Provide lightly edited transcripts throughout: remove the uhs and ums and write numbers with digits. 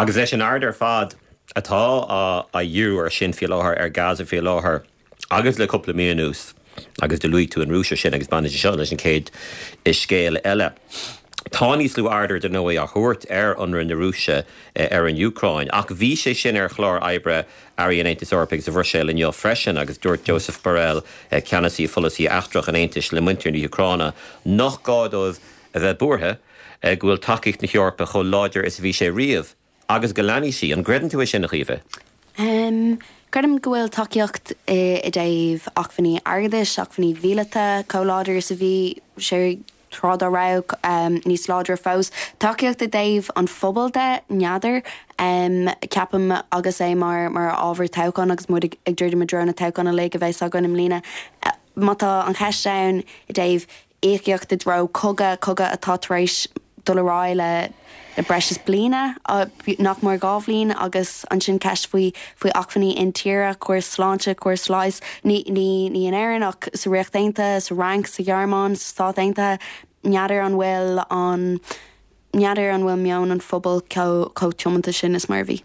Agus leis an aird ar fad atá á dhíriú air sin faoi láthair, ar Gaza faoi láthair agus le cúpla mí anuas, agus do luaigh tú an Rúis ansin agus baineann sé seo leis an chéad scéal eile. Tá níos lú aird ar ndóigh á thabhairt ar ionradh na Rúise ar an Úcráin ach bhí sé sin ar chlár oibre Airí an Aontais Eorpaigh sa Bhruiséil inniu freisin agus dúirt Josep Borrell, ceannasaí pholasaí eachtrach an Aontais le muintir na hÚcráine nach gá dóibh a bheith buartha go bhfuil tacaíocht na hEorpa chomh láidir is a bhí sé riamh agus go leanfaidh sí. An gcreideann tú é sin, a Chaoimhe? Creidim go bhfuil tacaíocht i dtaobh acmhainní airgeadais, acmhainní míleata chomh láidir is a bhí sé tráth dá raibh, níos láidre fós. Tacaíocht i dtaobh an phobail de, n'fheadar. Ceapaim agus é mar mar ábhar toghcháin agus muid ag druidim i dtreo na toghcháin uilig a bheas againn i mbliana, má tá an cheist ann i dtaobh íocaíocht i dtreo cogadh, cogadh atá tar éis dul ar aghaidh le le breis is bliana, nach mór 2 bhliain, agus ansin ceist faoi faoi acmhainní intíre, córas sláinte, córas leighis, ní ní ní in Éirinn ach sa Ríocht Aontaithe, sa Fhrainc, sa Ghearmáin, sa Stát Aontaithe, n'fheadar an bhfuil an n'fheadar an bhfuil meon an phobail chomh tiomanta sin is mar a bhí.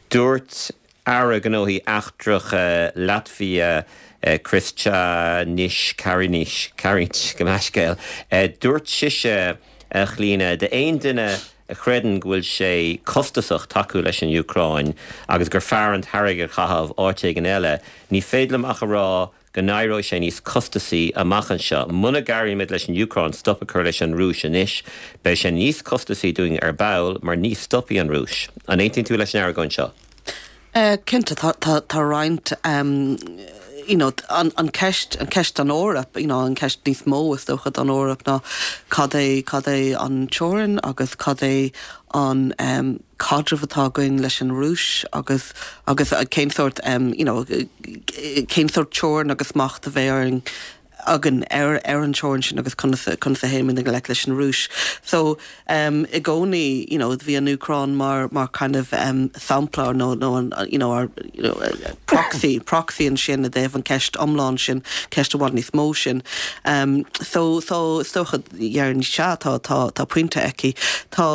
Dúirt Aire Gnóthaí Eachtracha Laitvia Krišjānis Kariņš, Kariņš, gabh mo leithscéal, dúirt sise, a Chlíona, d'aon duine a chreideann go bhfuil sé costasach tacú leis an Úcráin agus gur fearr an t-airgead a chaitheamh áit éigin eile, ní féidir liom ach a rá go n-éireoidh sé níos costasaí amach anseo. Muna gcabhraímid leis an Úcráin stop a chur leis an Rúis anois, beidh sé níos costasaí dúinn ar ball mar ní stopfaidh an Rúis. An aontaíonn tú leis an argóint seo? Cinnte, tá roinnt, you know, an ceist, an ceist don Eoraip, you know, an ceist níos mó is dócha don Eoraip ná cad é, cad é an teorainn agus cad é an, caidreamh atá againn leis an Rúis agus agus cén sórt you know cén sórt teorainn agus smacht a bheidh orainn againn ar ar an teorainn sin agus conas conas a théimid i ngleic leis an Rúis. So um i gcónaí you know bhí an Úcráin mar mar kind of um sampla nó nó an you know our you know proxy proxy ansin i dtaobh an ceist iomlán sin ceist i bhfad níos mó sin. Um so so is dócha déarfainn sea tá tá tá pointe aici. Tá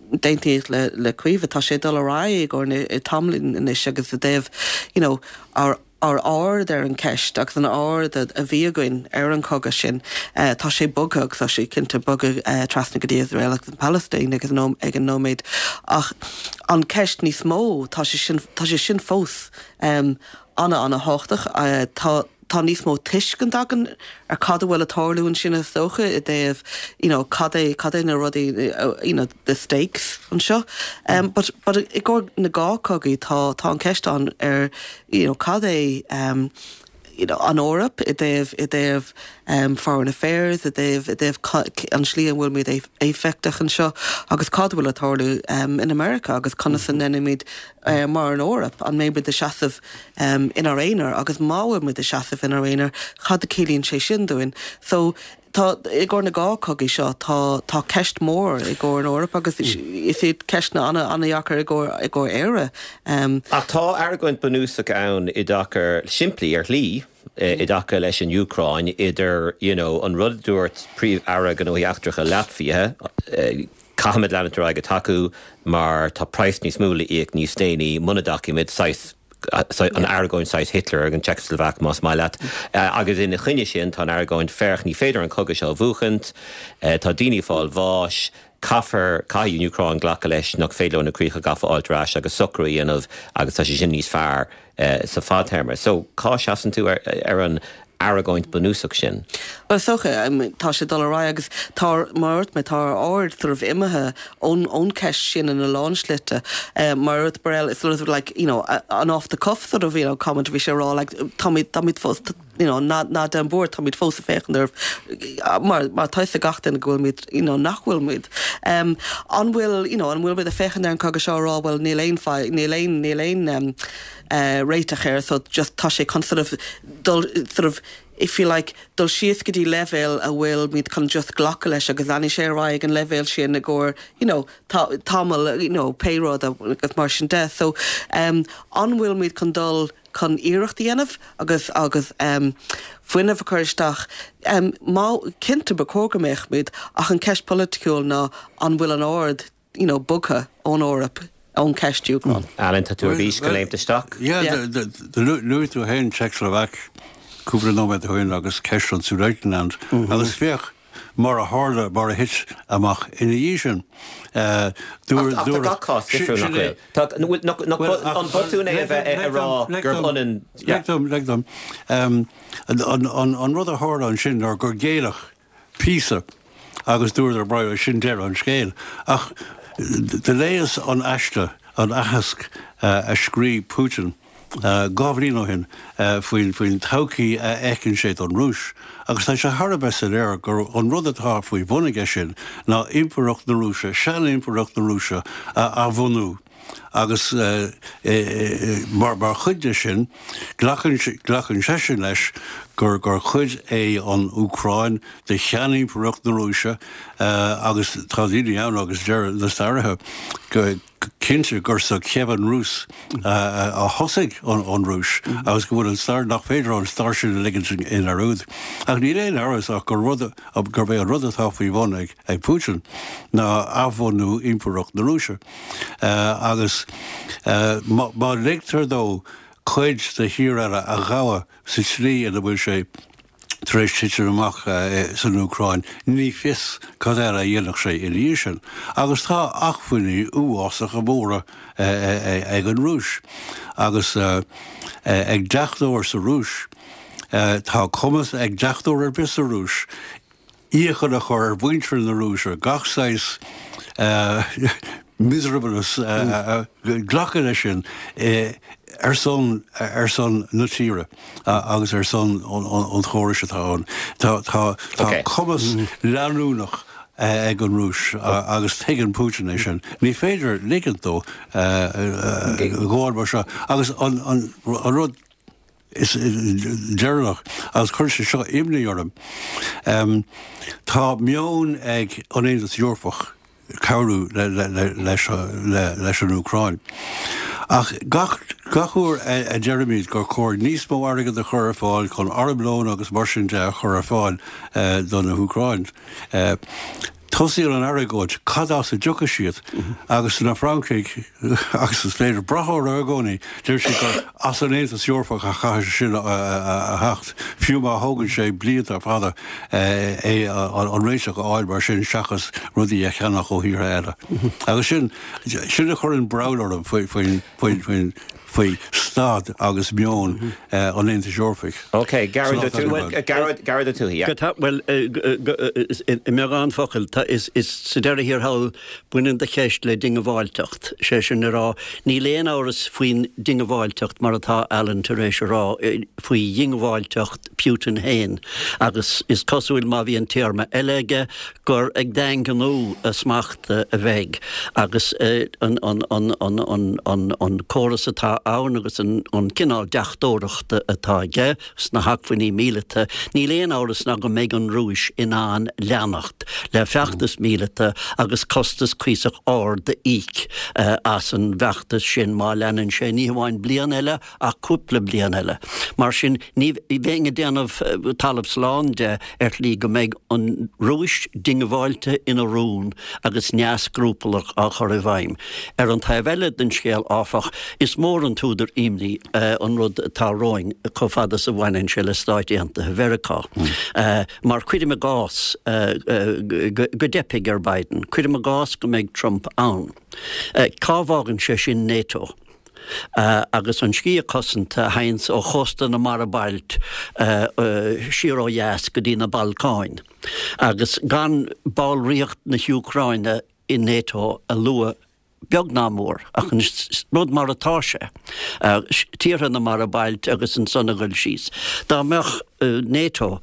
D'aontaím le le Caoimhe, tá sé ag dul ar aghaidh i gcomhair tamaillín anois agus i dtaobh you know ár ár aird ar an cheist agus an aird a bhí againn ar an chogadh sin, tá sé bogtha agus tá sé cinnte bogtha trasna go dtí Iosrael agus an Phalaistín ag an ag an nóiméad. Ach an ceist níos mó, tá sé sin tá sé sin fós ana ana thábhachtach. Tá tá níos mó tuiscint againn ar cad a bhfuil ag tarlú ansin is dócha i dtaobh you know cad é cad é na rudaí you know the stakes anseo. Um, but but i gcomhair na dhá cogaí tá tá an ceist ann ar you know cad é um, you know, an Eoraip i dtaobh i dtaobh um, foreign affairs, i dtaobh i dtaobh an slí an bhfuil muid éifeachtach anseo agus cad a bhfuil ag tarlú um, in America agus conas a ndéanaimid uh, mar an Eoraip an mbeimid ag seasamh inár aonar agus má bhfuil muid ag seasamh inár aonar, cad a ciallaíonn sé sin dúinn? So, tá, i gcomhair na dhá cogaí seo, tá, tá ceist mór i gcomhair an Eoraip agus is iad ceisteanna ana, ana-dheacair i gcomhair, i gcomhair Éire. Ach tá argóint bunúsach ann i dtaca, simplí ar shlí, i dtaca leis an Úcráin, idir, you know, an rud a dúirt Príomh-Aire Gnóthaí Eachtracha Laitvia, Caithfimid leanúint ar aghaidh ag tacú mar tá praghas níos mó le íoc níos déanaí muna dtacaímid, saghas, an argóint saghas Hitler ag an tSeicslóvaic más maith leat. Agus ina choinne sin tá an argóint, féach, ní féidir an cogadh seo a bhuachaint, tá daoine ag fáil bháis, caithfear, caithfidh an Úcráin glacadh leis nach féidir leo na críocha gafa a fháilt ar ais agus socrú a dhéanamh agus tá sé sin níos fearr sa fadtéarma. So, cá seasann tú ar an argóint bunúsach sin? Bhuel, is dócha, tá sé ag dul ar aghaidh agus tá, mar a dúirt mé, tá ár aird sort of imithe ón, ón cheist sin ina lán slite. Mar a dúirt Borrell, it's sort of like, you know, an off the cuff sort of, you know, comment a bhí sé a rá, like, táimid, táimid fós, you know, ná, ná déan buairt, táimid fós ag féachaint oraibh, mar, mar tá fhios ag gach duine go bhfuilimid, you know, nach bhfuilimid. An bhfuil, you know, an bhfuilimid ag féachaint ar an chogadh seo a rá, bhuel, níl aon, níl aon, níl aon, réiteach air so just tá sé chun sort of dul sort of if you like dul síos go dtí leibhéal a bhfuil muid chun just glacadh leis agus leanfaidh sé ar aghaidh ag an leibhéal sin i gcomhair you know tá tamall you know pé rud agus mar sin de so um an bhfuil muid chun dul chun iarracht a dhéanamh agus agus um fuinneamh a chur isteach um má cinnte ba chóir go mbeadh muid ach an ceist polaitiúil ná an bhfuil an aird you know bogtha ón Eoraip. Ón ceist Úcráin. Alan, tá tú ar bís go léimt isteach? Yeah, luaigh tú féin Czechoslovak cúpla nóiméad ó shin agus ceist an Sudetenland agus féach mar a tharla, mar a thit amach ina dhiaidh sin. Ach tá gach cás difriúil, nach bhfuil? Tá, nach an botún é a bheith ag rá gurb ionann. Lig dom, lig dom. An rud a tharla ansin ná gur géilleadh píosa agus dúradar bhuel sin deireadh an scéil. Ach do léas an aiste, an aitheasc a scríobh Putin 2 bhliain ó shin faoin faoin todhchaí a fheiceann sé don Rúis agus tá sé thar a bheith soiléir gur an rud atá faoi bhun aige sin ná impireacht na Rúise, sean-impireacht na Rúise a athbhunú. Agus mar chuid de sin, glacann seisean leis gur cuid é an Úcráin de sheanimpireacht na Rúise agus tá daoine ann agus deir na staraithe go cinnte gur sa Kievan Rus a thosaigh an Rúis agus go bhfuil an stair, nach féidir an stair sin a ligint i ndearúd. Ach níl aon amhras ach gur rud, gurb é an rud atá faoi bhun ag Putin ná athbhunú impireacht na Rúise. Agus má ligtear dó cuid de thír eile a ghabhadh sa tslí ina bhfuil sé tar éis titim amach san Úcráin, ní fios cad eile a dhéanfadh sé ina dhiaidh sin. Agus tá acmhainní uafásacha móra ag an Rúis. Agus ag deachtóir sa Rúis, tá cumas ag deachtóir ar bith sa Rúis iachall a chur ar mhuintir na Rúise gach saghas miserableness glacadh leis sin ar son ar son na tíre agus ar son an chórais atá ann. Tá tá tá cumas leanúnach ag an Rúis agus tuigeann Putin é sin. Ní féidir ligint dó gabháil mar seo agus an an rud is deireanach, agus cuireann sé seo imní orm, tá meon ag an Aontas Eorpach cabhrú leis an Úcráin. Ach gach gach uair a deirimid gur chóir níos mó airgead a chur ar fáil chun armlón agus mar sin de a chur ar fáil do na hÚcráin, Tosaíonn an argóint, cad as a dtiocfaidh siad? Agus na Francaigh, agus is féidir brath orthu i gcónaí, deir siad gur as an Aontas Eorpach a chaithfidh sé sin a theacht, fiú má thógann sé blianta fada é an réiteach a fháil mar sin seachas rudaí a cheannach ó thíortha eile. Agus sin, sin a chuireann breall orm faoin, faoin, faoi staid agus meon an Aontais Eorpaigh. Ok, Gearóid Ó Tuathaigh, Gearóid Ó Tuathaigh, yeah. Bhuel, i mbeagán focal, is sa deireadh thiar thall, baineann do cheist le diongbháilteacht, sé sin le rá, níl aon amhras faoin diongbháilteacht mar atá Alan tar éis a rá, faoi dhiongbháilteacht Putin féin agus is cosúil má bhíonn téarma eile aige gur ag daingniú a smachta a bheidh agus an córas atá ann agus an cineál deachtóireachta atá aige sna hacmhainní míleata, níl aon amhras ná go mbeidh an Rúis in ann leanacht le feachtas míleata agus costas cuíosach ard a íoc as an bhfeachtas sin má leanann sé ní hamháin bliain eile ach cúpla bliain eile. Mar sin, ní bheinn ag déanamh talamh slán de ar shlí go mbeidh an Rúis diongbháilte ina rún agus neamhscrupallach á chur i bhfeidhm. Ar an taobh eile den scéal, áfach, is mór an t-údar imní an rud atá romhainn chomh fada is a bhaineann sé le Stáit Aontaithe Mheiriceá. Mar cuirim i gcás go dteipfidh ar Biden, cuirim i gcás go mbeidh Trump ann, cá bhfágann sé sin NATO? agus an sciath cosanta a théanns ó chósta na Mara Bailt siar ó dheas go dtí na Balcáin, agus gan ballraíocht na hÚcráine i NATO a lua beag ná mór, ach an rud mar atá sé, tíortha na Mara Bailt agus ansan a ghoil síos. Dá mbeadh NATO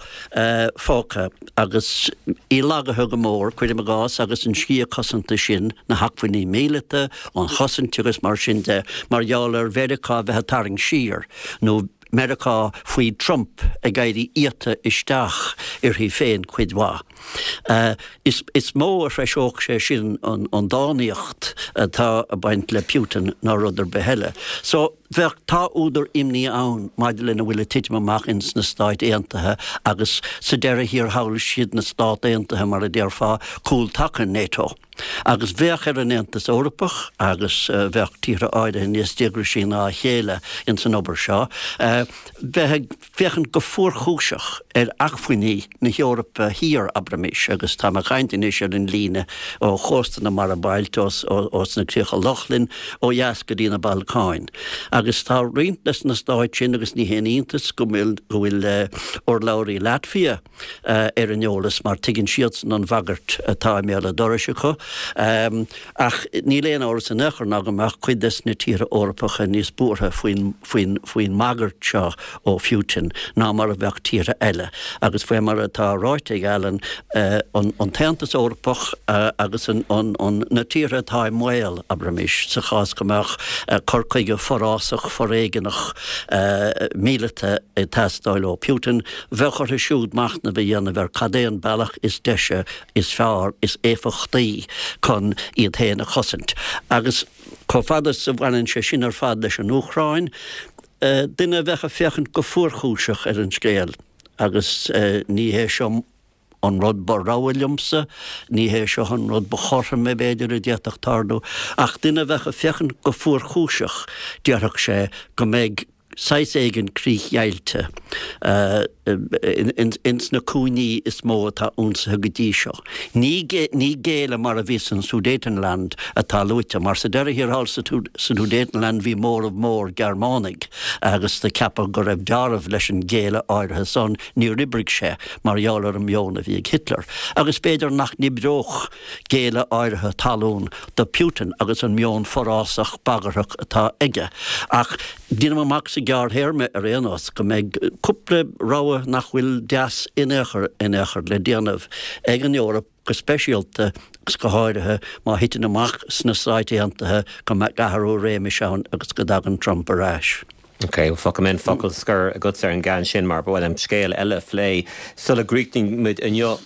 fágtha agus í lagaithe go mór, cuirim i gcás, agus an sciath cosanta sin, na hacmhainní míleata, an chosaint agus mar sin de, mar gheall ar Mheiriceá a bheith ag tarraingt siar, nó Meiriceá faoi Trump ag éirí iata isteach uirthi féin cuid mhaith. Is mó a threiseodh sé sin an dánaíocht atá ag baint le Putin ná rud ar bith eile. So. Bheadh, tá údar imní ann maidir lena bhfuil ag titim amach ins na Stáit Aontaithe agus sa deireadh thiar thall is iad na Stát Aontaithe, mar a déarfá, cúl taca NATO. Agus bheadh ar an Aontas Eorpach, agus bheadh tíortha áirithe níos díograisí ná a chéile ins an obair seo, bheith ag féachaint go fuarchúiseach ar acmhainní na hEorpa Thiar, abraimis, agus táim ag caint anois ar an líne ó chósta na Mara Bailtí, ós na Críocha Lochlann, ó dheas go dtí na Balcáin. Agus tá roinnt des na stáit sin, agus ní haon iontas go bhfuil go bhfuil urlabhraí Latvia ar an eolas, mar tuigeann siadsan an bhagairt atá i mbéal an dorais acu. Ach níl aon amhras in aon chor ná go mbeadh cuid des na tíortha Eorpacha níos buartha faoin faoin faoin mbagairt seo ó Phutin ná mar a bheadh tíortha eile. Agus faoi mar atá ráite ag Alan, an an tAontas Eorpach agus an an an na tíortha atá i mbaol, abraimis, sa chás go mbeadh cur chuige forásach foréigeanach míleata ag teastáil ó Putin, bheadh orthu siúd machnamh a dhéanamh ar cad é an bealach is deise is fearr, is éifeachtaí chun iad féin a chosaint. Agus chomh fada is a bhaineann sé sin ar fad leis an Úcráin, duine a bheadh ag féachaint go fuarchúiseach ar an scéal, agus ní hé seo an rud ba rogha liomsa, ní hé seo an rud ba chothroime, b'fhéidir, a d'fhéadfadh tarlú, ach duine a bheadh ag féachaint go fuarchúiseach, déarfadh sé go mbeidh saghas éigin críochdheighilte ins na cúinní is mó atá ionsaithe go dtí seo. Ní géilleadh mar a bhí san Sudetenland atá luaite, mar sa deireadh thiar thall sa Sudetenland bhí móramh mór Gearmánaigh agus do ceapadh go raibh deáramh leis an ghéilleadh áirithe san, níor oibrigh sé mar gheall ar an meon a bhí ag Hitler. Agus b'fhéidir nach n-oibreodh géilleadh áirithe talún do Putin agus an meon forásach bagarthach atá aige. Ach déanaim amach sa ghearrthéarma ar aon nós go mbeidh cúpla rogha nach bhfuil deas in aon chor in aon chor le déanamh ag an Eoraip go speisialta agus go háirithe má thiteann amach sna Stáit Aontaithe go mbeadh athrú réimis ann agus go dtagann Trump ar ais. Ok, fágfaidh mé an focal scoir agatsa ar an gceann sin mar ba mhaith liom scéal eile a phlé sula gcríochnaíonn muid inniu.